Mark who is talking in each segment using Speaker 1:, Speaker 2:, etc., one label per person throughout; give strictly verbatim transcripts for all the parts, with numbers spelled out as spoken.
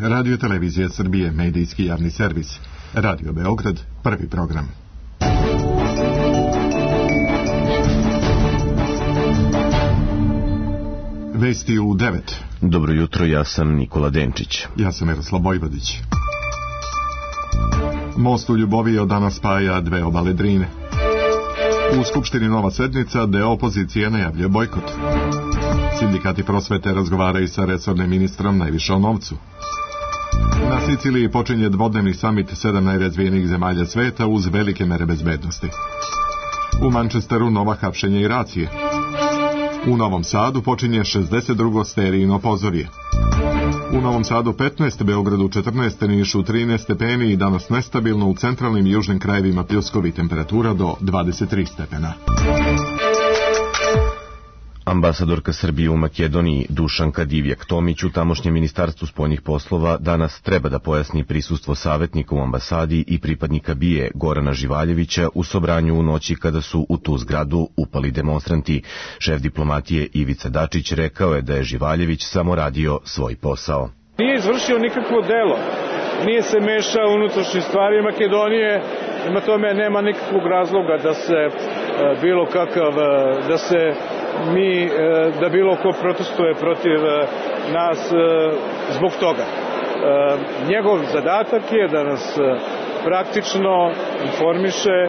Speaker 1: Radio Televizija Srbije, medijski javni servis. Radio Beograd, prvi program. Vesti u devet.
Speaker 2: Dobro jutro, ja sam Nikola Denčić.
Speaker 1: Ja sam Miroslav Bojvodić. Most u Ljuboviji od danas spaja dve obale Drine. U Skupštini nova sednica, deo opozicije najavljuje bojkot. Sindikati prosvete razgovaraju sa resornim ministrom najviše o novcu. Na Siciliji počinje dvodnevni samit sedam najrazvijenijih zemalja sveta uz velike mere bezbednosti. U Manchesteru nova hapšenja i racije. U Novom Sadu počinje šezdeset drugo sterijino pozorje. U Novom Sadu petnaest, Beogradu četrnaest, Nišu trinaest stepeni i danas nestabilno u centralnim i južnim krajevima pljuskovi, temperatura do dvadeset tri stepena.
Speaker 2: Ambasadorka Srbije u Makedoniji Dušanka Divjak-Tomić u tamošnjem ministarstvu spoljnih poslova danas treba da pojasni prisustvo savjetnika u ambasadi i pripadnika B I A Gorana Živaljevića u Sobranju u noći kada su u tu zgradu upali demonstranti. Šef diplomatije Ivica Dačić rekao je da je Živaljević samo radio svoj posao.
Speaker 3: Nije izvršio nikakvo delo, nije se mešao u unutrašnje stvari Makedonije, prema tome nema nikakvog razloga da se bilo kakav, da se mi, da bilo ko protestuje protiv nas zbog toga. Njegov zadatak je da nas praktično informiše.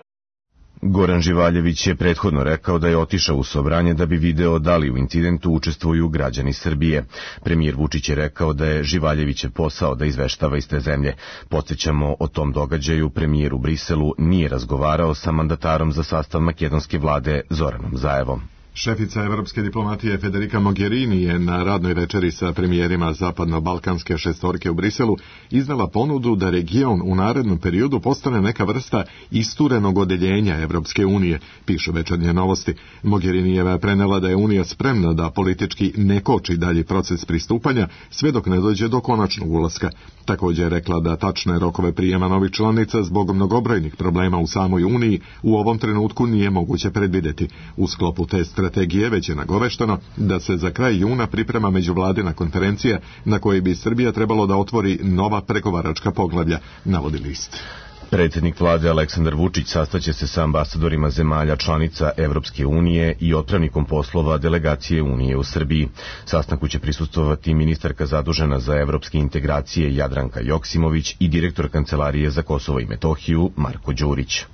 Speaker 2: Goran Živaljević je prethodno rekao da je otišao u Sobranje da bi video da li u incidentu učestvuju građani Srbije. Premijer Vučić je rekao da je Živaljevićev posao da izveštava iz te zemlje. Podsjećamo, o tom događaju premijer u Briselu nije razgovarao sa mandatarom za sastav makedonske vlade Zoranom Zaevom.
Speaker 1: Šefica evropske diplomatije Federica Mogherini je na radnoj večeri sa premijerima zapadno-balkanske šestorke u Briselu iznala ponudu da region u narednom periodu postane neka vrsta isturenog odeljenja Evropske unije, pišu Večernje novosti. Mogherinijeva je prenela da je Unija spremna da politički ne koči dalji proces pristupanja sve dok ne dođe do konačnog ulaska. Također je rekla da tačne rokove prijema novih članica zbog mnogobrojnih problema u samoj Uniji u ovom trenutku nije moguće predvideti. U sklopu te strategije već je nagovešteno da se za kraj juna priprema međuvladina konferencija na kojoj bi Srbija trebalo da otvori nova pregovaračka poglavlja, navodi list.
Speaker 2: Predsjednik vlade Aleksandar Vučić sastaće se sa ambasadorima zemalja članica Evropske unije i otpravnikom poslova delegacije Unije u Srbiji. Sastanku će prisustvovati ministarka zadužena za evropske integracije Jadranka Joksimović i direktor Kancelarije za Kosovo i Metohiju Marko Đurić.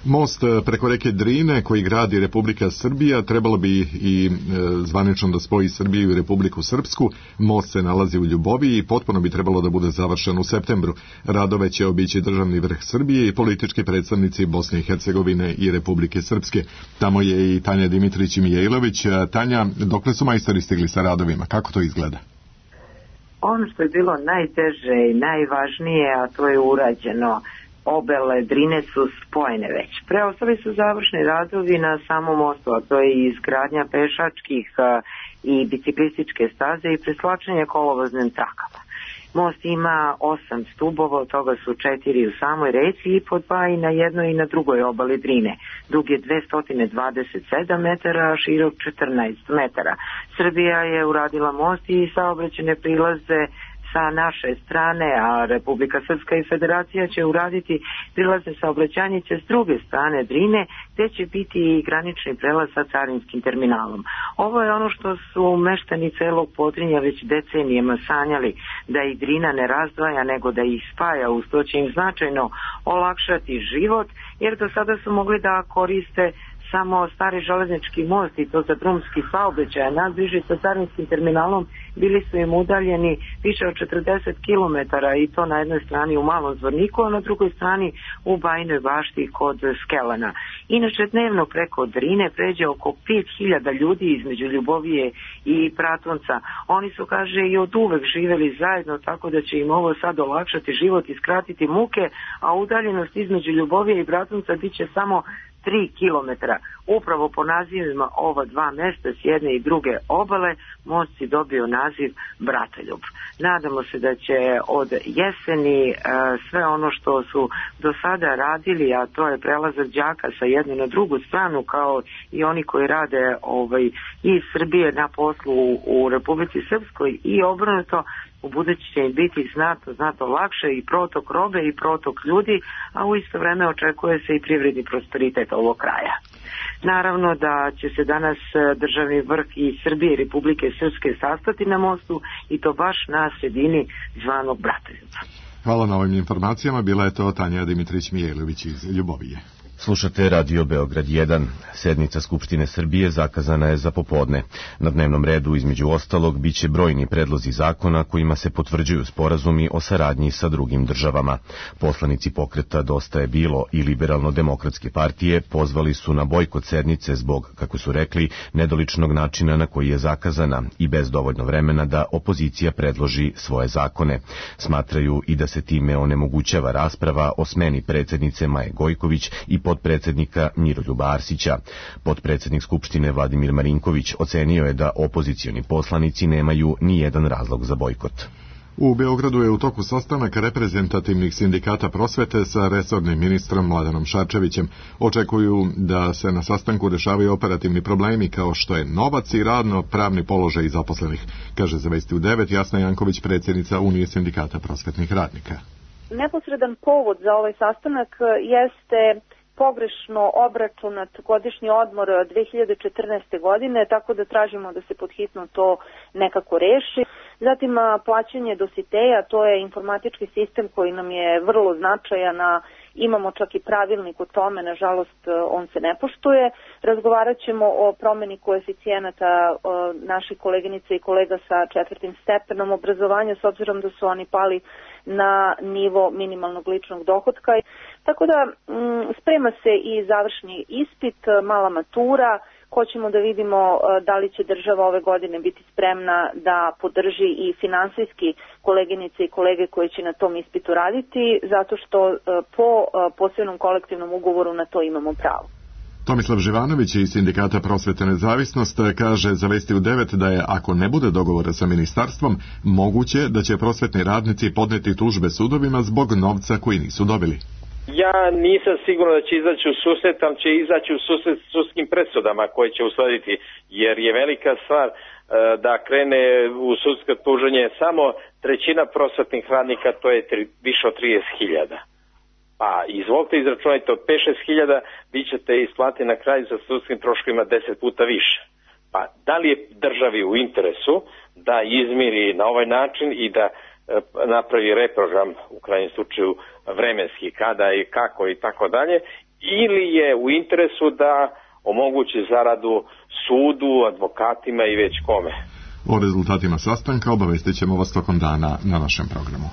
Speaker 1: Most preko reke Drine koji gradi Republika Srbija trebalo bi i e, zvanično da spoji Srbiju i Republiku Srpsku. Most se nalazi u Ljuboviji i potpuno bi trebalo da bude završen u septembru. Radove će obići državni vrh Srbije i politički predstavnici Bosne i Hercegovine i Republike Srpske. Tamo je i Tanja Dimitrić i Mijailović. Tanja, dokle su majstori stigli sa radovima? Kako to izgleda?
Speaker 4: Ono što je bilo najteže i najvažnije, a to je urađeno. Obele Drine su spojene već. Preostali su završni radovi na samom mostu, a to je izgradnja pešačkih i biciklističke staze i preslačenje kolovoznim trakama. Most ima osam stubova, od toga su četiri u samoj reci i po dva i na jednoj i na drugoj obali Drine. Dug je dvesta dvadeset sedam metara, a širok četrnaest metara. Srbija je uradila most i saobraćajne prilaze sa naše strane, a Republika Srpska i Federacija će uraditi prilazne saobraćajnice s druge strane Drine, gde će biti i granični prelaz sa carinskim terminalom. Ovo je ono što su meštani celog Podrinja već decenijama sanjali, da ih Drina ne razdvaja, nego da ih spaja. Uz to će im značajno olakšati život, jer do sada su mogli da koriste samo stari železnički most i to za drumski saobraćaj. Najbliži sa carinskim terminalom bili su im udaljeni više od četrdeset kilometara i to na jednoj strani u Malom Zvorniku, a na drugoj strani u Bajinoj Bašti kod Skelana. Inače, dnevno preko Drine pređe oko pet hiljada ljudi između Ljubovije i Pratunca. Oni su, kaže, i od uvek živeli zajedno, tako da će im ovo sad olakšati život i skratiti muke, a udaljenost između Ljubovije i Pratunca bit će samo tri kilometra. Upravo po nazivima ova dva mesta s jedne i druge obale most je dobio naziv Bratoljub. Nadamo se da će od jeseni e, sve ono što su do sada radili, a to je prelazak đaka sa jedne na drugu stranu, kao i oni koji rade ovaj, iz Srbije na poslu u, u Republici Srpskoj i obrnuto, u budući će im biti znatno, znatno lakše i protok robe i protok ljudi, a u isto vreme očekuje se i privredni prosperitet ovog kraja. Naravno da će se danas državni vrh i Srbije i Republike Srpske sastati na mostu i to baš na sredini zvanog Bratoljubca.
Speaker 1: Hvala na ovim informacijama. Bila je to Tanja Dimitrić-Mijailović iz Ljubovije.
Speaker 2: Slušate Radio Beograd jedan. Sednica Skupštine Srbije zakazana je za popodne. Na dnevnom redu, između ostalog, biće brojni predlozi zakona kojima se potvrđuju sporazumi o saradnji sa drugim državama. Poslanici pokreta Dosta je bilo i Liberalno-demokratske partije pozvali su na bojkot sednice zbog, kako su rekli, nedoličnog načina na koji je zakazana i bez dovoljno vremena da opozicija predloži svoje zakone. Smatraju i da se time onemogućava rasprava o smeni predsjednice Maje Gojković i potpredsjednika Miroljuba Arsića. Potpredsjednik Skupštine Vladimir Marinković ocenio je da opozicioni poslanici nemaju ni jedan razlog za bojkot.
Speaker 1: U Beogradu je u toku sastanak reprezentativnih sindikata prosvete sa resornim ministrom Mladenom Šarčevićem. Očekuju da se na sastanku rešavaju operativni problemi kao što je novac i radno-pravni položaj zaposlenih, kaže za Vesti u devet Jasna Janković, predsjednica Unije sindikata prosvetnih radnika.
Speaker 5: Neposredan povod za ovaj sastanak jeste pogrešno obračunat godišnji odmor dve hiljade četrnaeste. godine, tako da tražimo da se podhitno to nekako reši. Zatim plaćanje dositeja, to je informatički sistem koji nam je vrlo značajan, a imamo čak i pravilnik o tome, nažalost on se ne poštuje. Razgovarat ćemo o promeni koeficijenata naših koleginica i kolega sa četvrtim stepenom obrazovanja, s obzirom da su oni pali na nivo minimalnog ličnog dohotka. Tako da m, sprema se i završni ispit, mala matura. Hoćemo da vidimo da li će država ove godine biti spremna da podrži i finansijski koleginice i kolege koji će na tom ispitu raditi, zato što po posebnom kolektivnom ugovoru na to imamo pravo.
Speaker 1: Tomislav Živanović iz Sindikata prosvete Nezavisnost kaže za Vesti u devet da je, ako ne bude dogovora sa ministarstvom, moguće da će prosvetni radnici podneti tužbe sudovima zbog novca koji nisu dobili.
Speaker 6: Ja nisam siguran da će izaći u susret, ali će izaći u susret s sudskim presudama koje će uslediti, jer je velika stvar e, da krene u sudsko tuženje samo trećina prosvetnih radnika, to je tri, više od trideset hiljada. Pa izvolite izračunajte, od pet do šest hiljada vi ćete isplatiti na kraju za sudskim troškovima deset puta više. Pa da li je državi u interesu da izmiri na ovaj način i da napravi reprogram, u krajnjem slučaju vremenski, kada i kako i tako dalje, ili je u interesu da omogući zaradu sudu, advokatima i već kome.
Speaker 1: O rezultatima sastanka obavestit ćemo vas tokom dana na našem programu.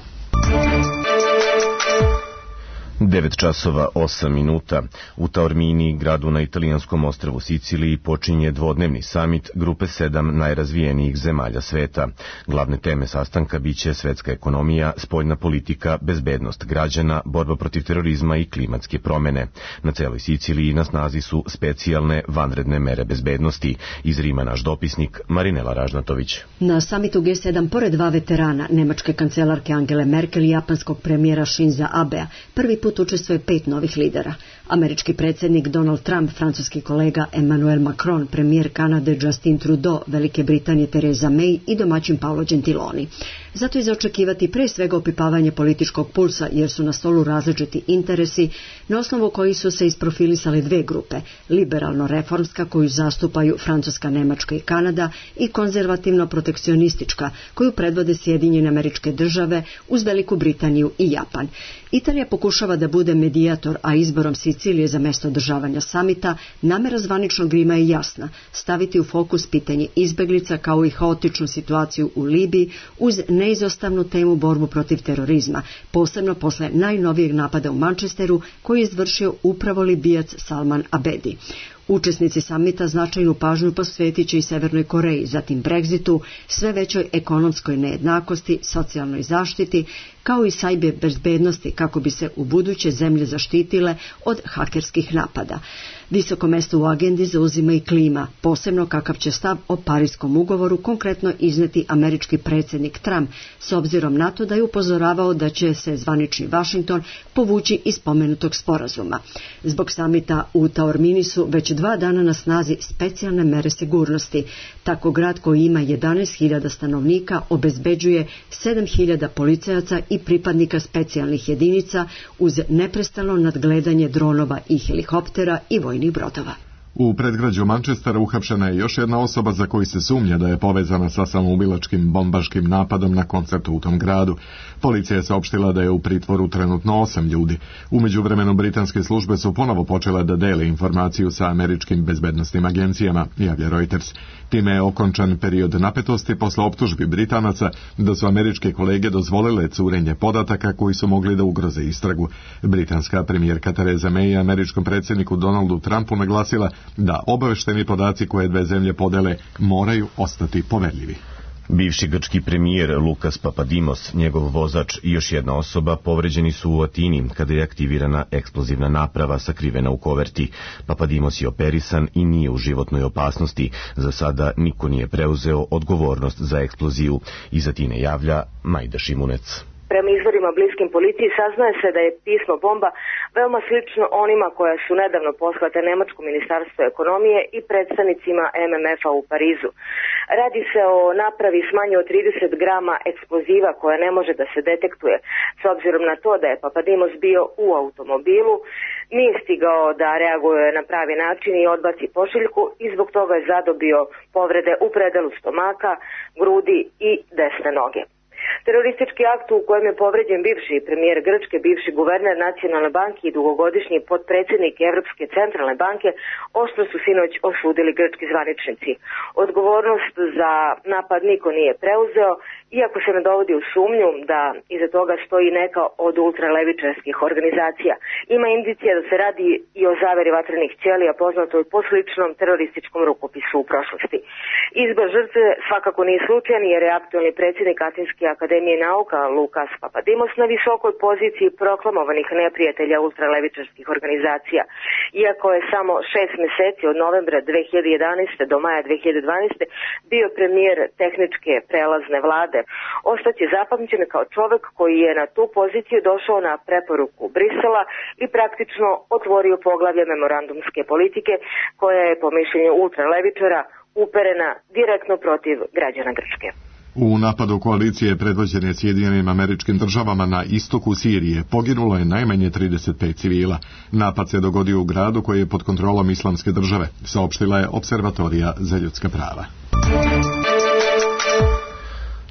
Speaker 2: devet časova osam minuta. U Taormini, gradu na italijanskom ostrvu Siciliji, počinje dvodnevni samit grupe sedam najrazvijenijih zemalja sveta. Glavne teme sastanka biće svetska ekonomija, spoljna politika, bezbednost građana, borba protiv terorizma i klimatske promene. Na celoj Siciliji na snazi su specijalne vanredne mere bezbednosti. Iz Rima naš dopisnik Marinela Ražnatović.
Speaker 7: Na samitu G sedam, pored dva veterana, nemačke kancelarke Angele Merkel i japanskog premijera Shinza Abea, prvi put učestvuje pet novih lidera. Američki predsjednik Donald Trump, francuski kolega Emmanuel Macron, premijer Kanade Justin Trudeau, Velike Britanije Theresa May i domaćin Paolo Gentiloni. Zato je za očekivati pre svega opipavanje političkog pulsa, jer su na stolu različiti interesi, na osnovu kojih su se isprofilisale dve grupe, liberalno-reformska koju zastupaju Francuska, Nemačka i Kanada i konzervativno-protekcionistička koju predvode Sjedinjene Američke Države uz Veliku Britaniju i Japan. Italija pokušava da bude medijator, a izborom Sicilije za mesto održavanja samita namera zvaničnog Rima je jasna, staviti u fokus pitanje izbeglica kao i haotičnu situaciju u Libiji uz neizostavnu temu borbu protiv terorizma, posebno posle najnovijeg napada u Manchesteru koji je izvršio upravo Libijac Salman Abedi. Učesnici samita značajnu pažnju posvetit će i Severnoj Koreji, zatim Brexitu, sve većoj ekonomskoj nejednakosti, socijalnoj zaštiti, kao i sajber bezbednosti kako bi se u buduće zemlje zaštitile od hakerskih napada. Visoko mesto u agendi zauzima i klima, posebno kakav će stav o Parijskom ugovoru konkretno izneti američki predsjednik Trump, s obzirom na to da je upozoravao da će se zvanični Washington povući iz spomenutog sporazuma. Zbog samita u Taormini su već dva dva dana na snazi specijalne mere sigurnosti. Tako grad koji ima jedanaest hiljada stanovnika obezbeđuje sedam hiljada policajaca i pripadnika specijalnih jedinica uz neprestano nadgledanje dronova i helikoptera i vojnih brodova.
Speaker 1: U predgrađu Manchestera uhapšena je još jedna osoba za koju se sumnja da je povezana sa samoubilačkim bombaškim napadom na koncertu u tom gradu. Policija je saopštila da je u pritvoru trenutno osam ljudi. U međuvremenu britanske službe su ponovo počele da dele informaciju sa američkim bezbednosnim agencijama, javlja Reuters. Time je okončan period napetosti posle optužbi Britanaca da su američke kolege dozvolile curenje podataka koji su mogli da ugroze istragu. Britanska premijerka Theresa May je američkom predsjedniku Donaldu Trumpu naglasila da obavešteni podaci koje dve zemlje podele moraju ostati poverljivi.
Speaker 2: Bivši grčki premijer Lukas Papadimos, njegov vozač i još jedna osoba povređeni su u Atini kada je aktivirana eksplozivna naprava sakrivena u koverti. Papadimos je operisan i nije u životnoj opasnosti. Za sada niko nije preuzeo odgovornost za eksploziju. Iz Atine javlja Majda Šimunec.
Speaker 8: Prema izvorima bliskim policiji saznaje se da je pismo bomba veoma slično onima koja su nedavno poslate Nemačkom ministarstvu ekonomije i predstavnicima M M F-a u Parizu. Radi se o napravi s manje od trideset grama eksploziva koja ne može da se detektuje. S obzirom na to da je Papadimos bio u automobilu, nije stigao da reaguje na pravi način i odbaci pošiljku i zbog toga je zadobio povrede u predelu stomaka, grudi i desne noge. Teroristički akt u kojem je povređen bivši premijer Grčke, bivši guverner Nacionalne banke i dugogodišnji potpredsjednik Evropske centralne banke oštro su sinoć osudili grčki zvaničnici. Odgovornost za napad niko nije preuzeo, iako se ne dovodi u sumnju da iza toga stoji neka od ultralevičarskih organizacija. Ima indicija da se radi i o zaveri vatrenih ćelija poznatoj po sličnom terorističkom rukopisu u prošlosti. Izbor žrtve svakako nije slučajan jer je aktualni predsjednik Atinske akademije nauka Lukas Papadimos na visokoj poziciji proklamovanih neprijatelja ultralevičarskih organizacija. Iako je samo šest mjeseci od novembra dve hiljade jedanaeste do maja dve hiljade dvanaeste bio premijer tehničke prelazne vlade, ostaće zapamćen kao čovjek koji je na tu poziciju došao na preporuku Brisela i praktično otvorio poglavlje memorandumske politike koja je po mišljenju ultralevičara uperena direktno protiv građana Grčke.
Speaker 1: U napadu koalicije predvođene Sjedinjenim Američkim Državama na istoku Sirije poginulo je najmanje trideset pet civila. Napad se dogodio u gradu koji je pod kontrolom Islamske države, saopštila je Observatorija za ljudska prava.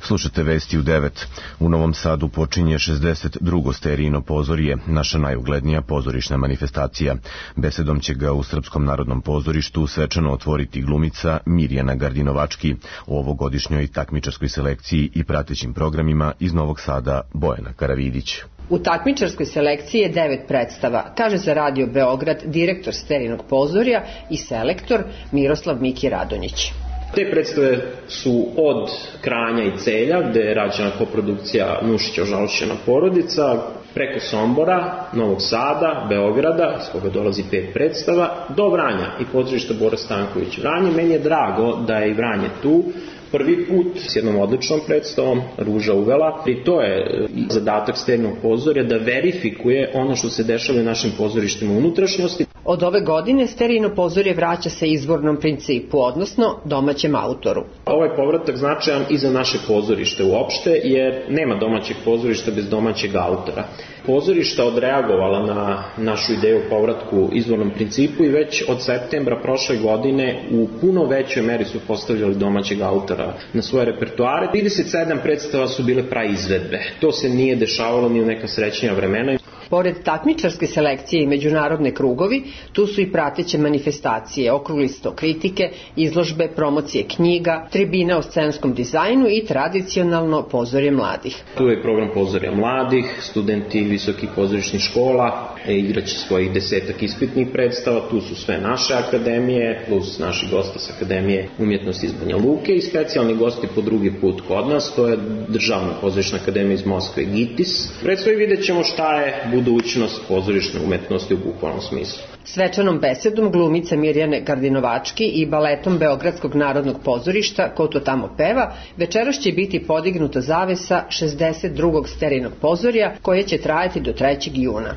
Speaker 2: Slušate vesti u devet. U Novom Sadu počinje šezdeset drugo sterijino pozorje, naša najuglednija pozorišna manifestacija. Besedom će ga u Srpskom narodnom pozorištu svečano otvoriti glumica Mirjana Gardinovački, u ovogodišnjoj takmičarskoj selekciji i pratećim programima iz Novog Sada Bojana Karavidić.
Speaker 9: U takmičarskoj selekciji je devet predstava, kaže za Radio Beograd direktor Sterinog pozorja i selektor Miroslav Miki Radonjić.
Speaker 10: Te predstave su od Kranja i Celja, gde je rađena koprodukcija Nušića ožalošćena porodica, preko Sombora, Novog Sada, Beograda, s koga dolazi pet predstava, do Vranja i pozorišta Bora Stanković Vranje. Meni je drago da je i Vranje tu, prvi put s jednom odličnom predstavom, Ruža uvela, i to je zadatak Sterinog pozorja da verifikuje ono što se dešava u našim pozorištima unutrašnjosti.
Speaker 9: Od ove godine Sterijino pozorje vraća se izvornom principu, odnosno domaćem autoru.
Speaker 10: Ovaj povratak značajan i za naše pozorište uopšte, jer nema domaćeg pozorišta bez domaćeg autora. Pozorišta odreagovala na našu ideju o povratku izvornom principu i već od septembra prošle godine u puno većoj meri su postavljali domaćeg autora na svoje repertoare. trideset sedam predstava su bile praizvedbe. To se nije dešavalo ni u neka srećnija vremena.
Speaker 9: Pored takmičarske selekcije i međunarodne krugovi, tu su i prateće manifestacije, okrugli sto kritike, izložbe, promocije knjiga, tribina o scenskom dizajnu i tradicionalno pozorje mladih.
Speaker 10: Tu je program pozorja mladih, studenti visokih pozorišnih škola, igraće svojih desetak ispitnih predstava, tu su sve naše akademije, plus naši gosti s Akademije umjetnosti iz Banja Luke i specijalni gosti po drugi put kod nas, to je Državna pozorišna akademija iz Moskve GITIS. Predstavi vidjet ćemo šta je budućnost pozorišne umetnosti u bukvalnom smislu.
Speaker 9: Svečanom besedom glumica Mirjane Gardinovački i baletom Beogradskog narodnog pozorišta Ko to tamo peva, večeras će biti podignuta zavesa šezdeset drugog Sterinog pozorja koje će trajati do trećeg juna.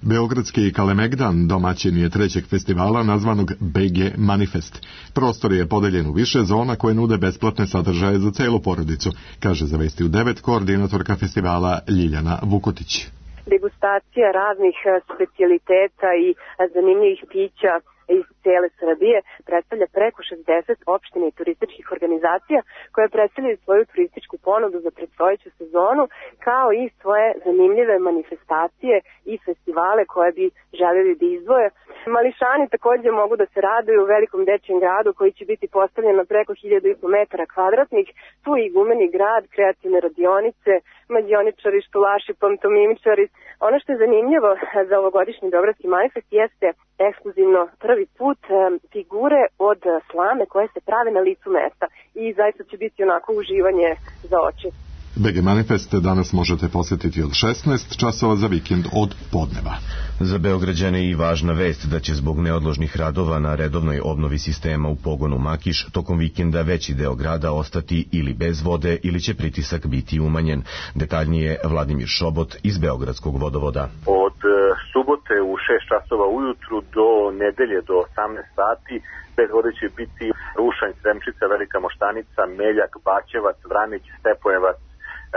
Speaker 1: Beogradski Kalemegdan domaćin je trećeg festivala nazvanog B G Manifest. Prostor je podeljen u više zona koje nude besplatne sadržaje za celu porodicu, kaže za Vesti u devet koordinatorka festivala Ljiljana Vukotić.
Speaker 11: Degustacija raznih specijaliteta i zanimljivih pića iz cijele Srbije predstavlja preko šezdeset opština i turističkih organizacija koje predstavljaju svoju turističku ponudu za predstojeću sezonu, kao i svoje zanimljive manifestacije i festivale koje bi željeli da izdvoje. Mališani također mogu da se raduju u velikom dečijem gradu koji će biti postavljen na preko hiljadu i po metara kvadratnih. Tu i gumeni grad, kreativne radionice, mađioničari, štulaši, pantomimičari. Ono što je zanimljivo za ovogodišnji Beogradski manifest jeste ekskluzivno prvi put figure od slame koje se prave na licu mesta i zaista će biti onako uživanje za oči.
Speaker 1: B G Manifest danas možete posjetiti od šesnaest časova, za vikend od podneva.
Speaker 2: Za Beograđane i važna vest da će zbog neodložnih radova na redovnoj obnovi sistema u pogonu Makiš tokom vikenda veći deo grada ostati ili bez vode ili će pritisak biti umanjen. Detaljnije Vladimir Šobot iz Beogradskog vodovoda.
Speaker 12: Od subote u šest časova ujutru do nedelje do osamnaest sati bez vode će biti Rušanj, Sremčica, Velika Moštanica, Meljak, Baćevac, Vranić, Stepojevac,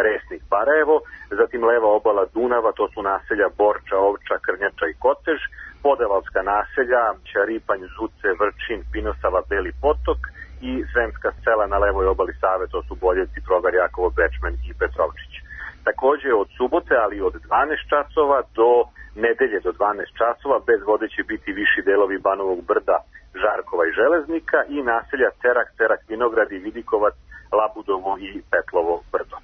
Speaker 12: Resnik, Barajevo, zatim leva obala Dunava, to su naselja Borča, Ovča, Krnjača i Kotež, podevalska naselja Ćaripanj, Zuce, Vrčin, Pinosava, Beli Potok i Sremska sela na levoj obali Save, to su Boljevci, Progar, Jakovo, Bečmen i Petrovčić. Također od subote, ali od dvanaest časova do nedelje do dvanaest časova bez vode će biti viši delovi Banovog Brda, Žarkova i Železnika i naselja Cerak, Cerak, Vinogradi, Vidikovac, Labudovo i Petlovo Brdo.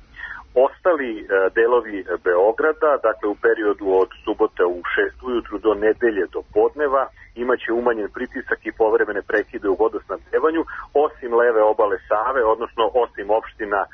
Speaker 12: Ostali e, delovi Beograda, dakle u periodu od subote u šest ujutru do nedelje do podneva, imaće umanjen pritisak i povremene prekide u vodosnabdevanju, osim leve obale Save, odnosno osim opština e,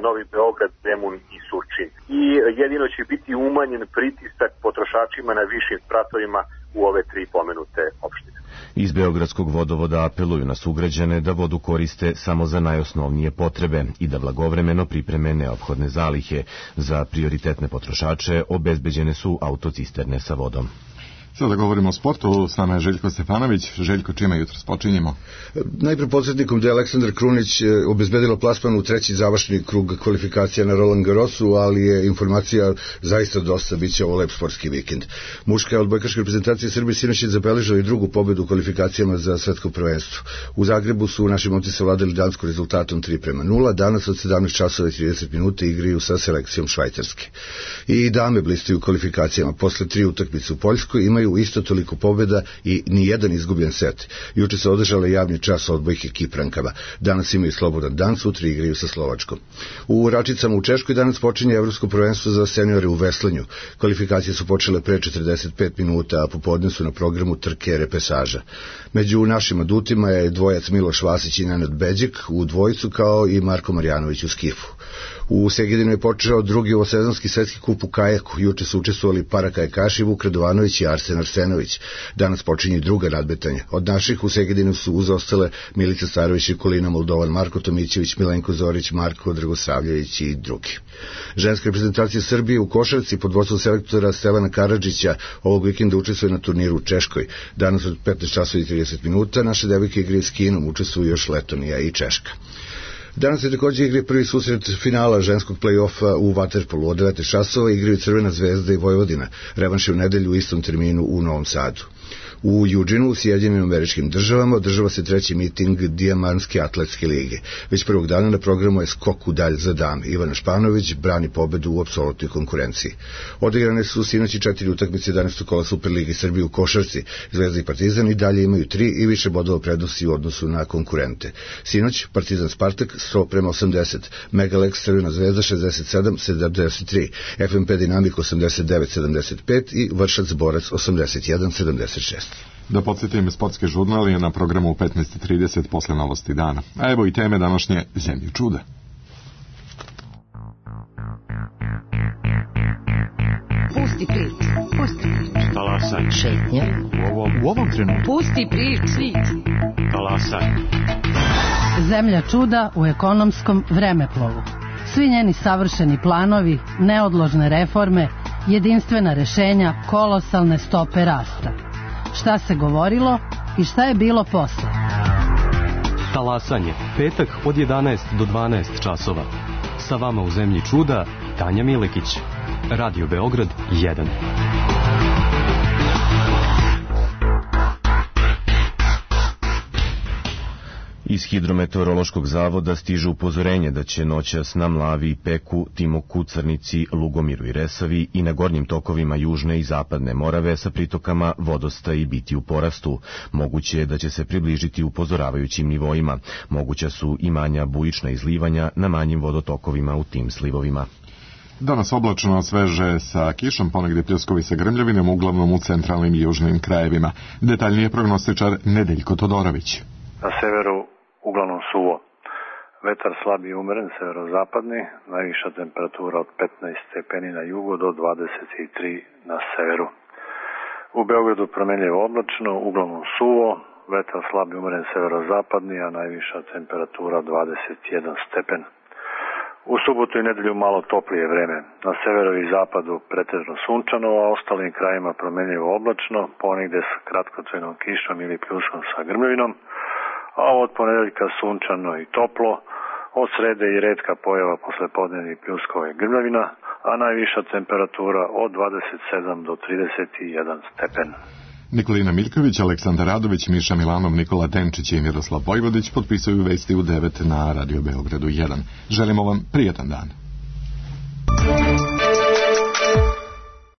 Speaker 12: Novi Beograd, Zemun i Surčin. I jedino će biti umanjen pritisak potrošačima na višim spratovima u ove tri pomenute opštine.
Speaker 2: Iz Beogradskog vodovoda apeluju na sugrađane da vodu koriste samo za najosnovnije potrebe i da blagovremeno pripreme neophodne zalihe. Za prioritetne potrošače obezbeđene su autocisterne sa vodom.
Speaker 1: Sada govorimo o sportu, s nama je Željko Stefanović. Željko, čime jutros počinjemo?
Speaker 13: Najpre podsjetnikom da je Aleksandar Krunić obezbedilo plasman u treći završni krug kvalifikacija na Roland Garrosu, ali je informacija zaista dosta, bit će ovo lep sportski vikend. Muška odbojkaška reprezentacija Srbije sinoć je zabeležila i drugu pobedu u kvalifikacijama za svetsko prvenstvo. U Zagrebu su naši momci savladali Dansku rezultatom tri prema nula, danas od sedamnaest časova i trideset minuta igraju sa selekcijom Švajcarske. I dame blistaju u kvalifikacijama, posle tri utakmice u Poljskoj imaju isto toliko pobjeda i ni jedan izgubljen set. Juče se održala javni čas odbojke Kiprankama. Danas imaju slobodan dan, sutra igraju sa Slovačkom. U Račicama u Češkoj danas počinje evropsko prvenstvo za seniore u veslanju. Kvalifikacije su počele pre četrdeset pet minuta, a popodne su na programu trke repesaža. Među našim adutima je dvojac Miloš Vasić i Nenad Beđik u dvojicu, kao i Marko Marjanović u skifu. U Segedinu je počeo drugi ovosezonski svetski kup u kajaku. Juče su učestvovali parakajakaši Vuk Radovanović i Arsen Arsenović. Danas počinje druga nadmetanja. Od naših u Segedinu su uzostale Milica Starović, Nikolina Moldovan, Marko Tomićević, Milenko Zorić, Marko Dragosavljević i drugi. Ženska reprezentacija Srbije u košarci pod vodstvom selektora Stevana Karadžića ovog vikenda učestvuje na turniru u Češkoj. Danas od petnaest časova i trideset minuta naše devojke igraju s Kinom, učestvuju još Letonija i Češka. Danas je također igre prvi susret finala ženskog play-offa u vaterpolu. Od devet časova igraju Crvena zvezda i Vojvodina. Revanš je u nedelju u istom terminu u Novom Sadu. U Eugenu, u Sjedinjenim Američkim Državama, održava se treći miting Dijamantske atletske lige. Već prvog dana na programu je skok u dalj za dame. Ivana Španović brani pobedu u apsolutnoj konkurenciji. Odigrane su sinoći četiri utakmice jedanaestog kola Superlige Srbije u košarci. Zvezda i Partizan i dalje imaju tri i više bodova prednosti u odnosu na konkurente. Sinoć Partizan Spartak sto prema osamdeset, Megalex Crvena zvezda šezdeset sedam sedamdeset tri, F M P Dinamik osamdeset devet sedamdeset pet i Vršac Borac osamdeset jedan sedamdeset šest.
Speaker 1: Da podsjetim, sportski žurnal je na programu u petnaest trideset posle novosti dana. A evo i teme današnje Zemlje čuda.
Speaker 14: Pusti priču, pusti priču.
Speaker 15: Talasaj.
Speaker 14: Šetnja.
Speaker 15: U ovom, u ovom trenutku.
Speaker 14: Pusti priču.
Speaker 15: Talasaj.
Speaker 16: Zemlja čuda u ekonomskom vremeplovu. Svi njeni savršeni planovi, neodložne reforme, jedinstvena rešenja, kolosalne stope rasta. Šta se govorilo i šta je bilo posle?
Speaker 17: Talasanje, petak od jedanaest do dvanaest časova. Sa vama u zemlji čuda, Tanja Milekić. Radio Beograd jedan.
Speaker 2: Iz Hidrometeorološkog zavoda stiže upozorenje da će noćas na Mlavi, Peku, Timoku, Crnici, Lugomiru i Resavi i na gornjim tokovima južne i zapadne Morave sa pritokama vodostaji biti u porastu. Moguće je da će se približiti upozoravajućim nivoima. Moguća su i manja bujična izlivanja na manjim vodotokovima u tim slivovima.
Speaker 1: Danas oblačno, sveže sa kišom, ponegdje pljuskovi sa grmljavinom, uglavnom u centralnim i južnim krajevima. Detaljnije prognostičar Nedeljko Todorović.
Speaker 18: Na severu uglavnom suvo. Vetar slab i umeren, severozapadni, najviša temperatura od petnaest stepeni na jugu do dvadeset tri na severu. U Beogradu promenljivo oblačno, uglavnom suvo, vetar slab i umeren, severozapadni, a najviša temperatura dvadeset jedan stepen. U subotu i nedelju malo toplije vreme. Na severu i zapadu pretežno sunčano, a ostalim krajima promenljivo oblačno, ponegde s kratkotrajnom kišom ili pljuskom sa grmljavinom, a od ponedeljka sunčano i toplo, od srede i retka pojava poslepodnevnih pljuskova i grmljavina, a najviša temperatura od dvadeset sedam do trideset jedan stepen.
Speaker 1: Nikolina Miljković, Aleksandar Radović, Miša Milanov, Nikola Tenčić i Miroslav Vojvodić potpisuju vesti u devet na Radio Beogradu jedan. Želimo vam prijetan dan.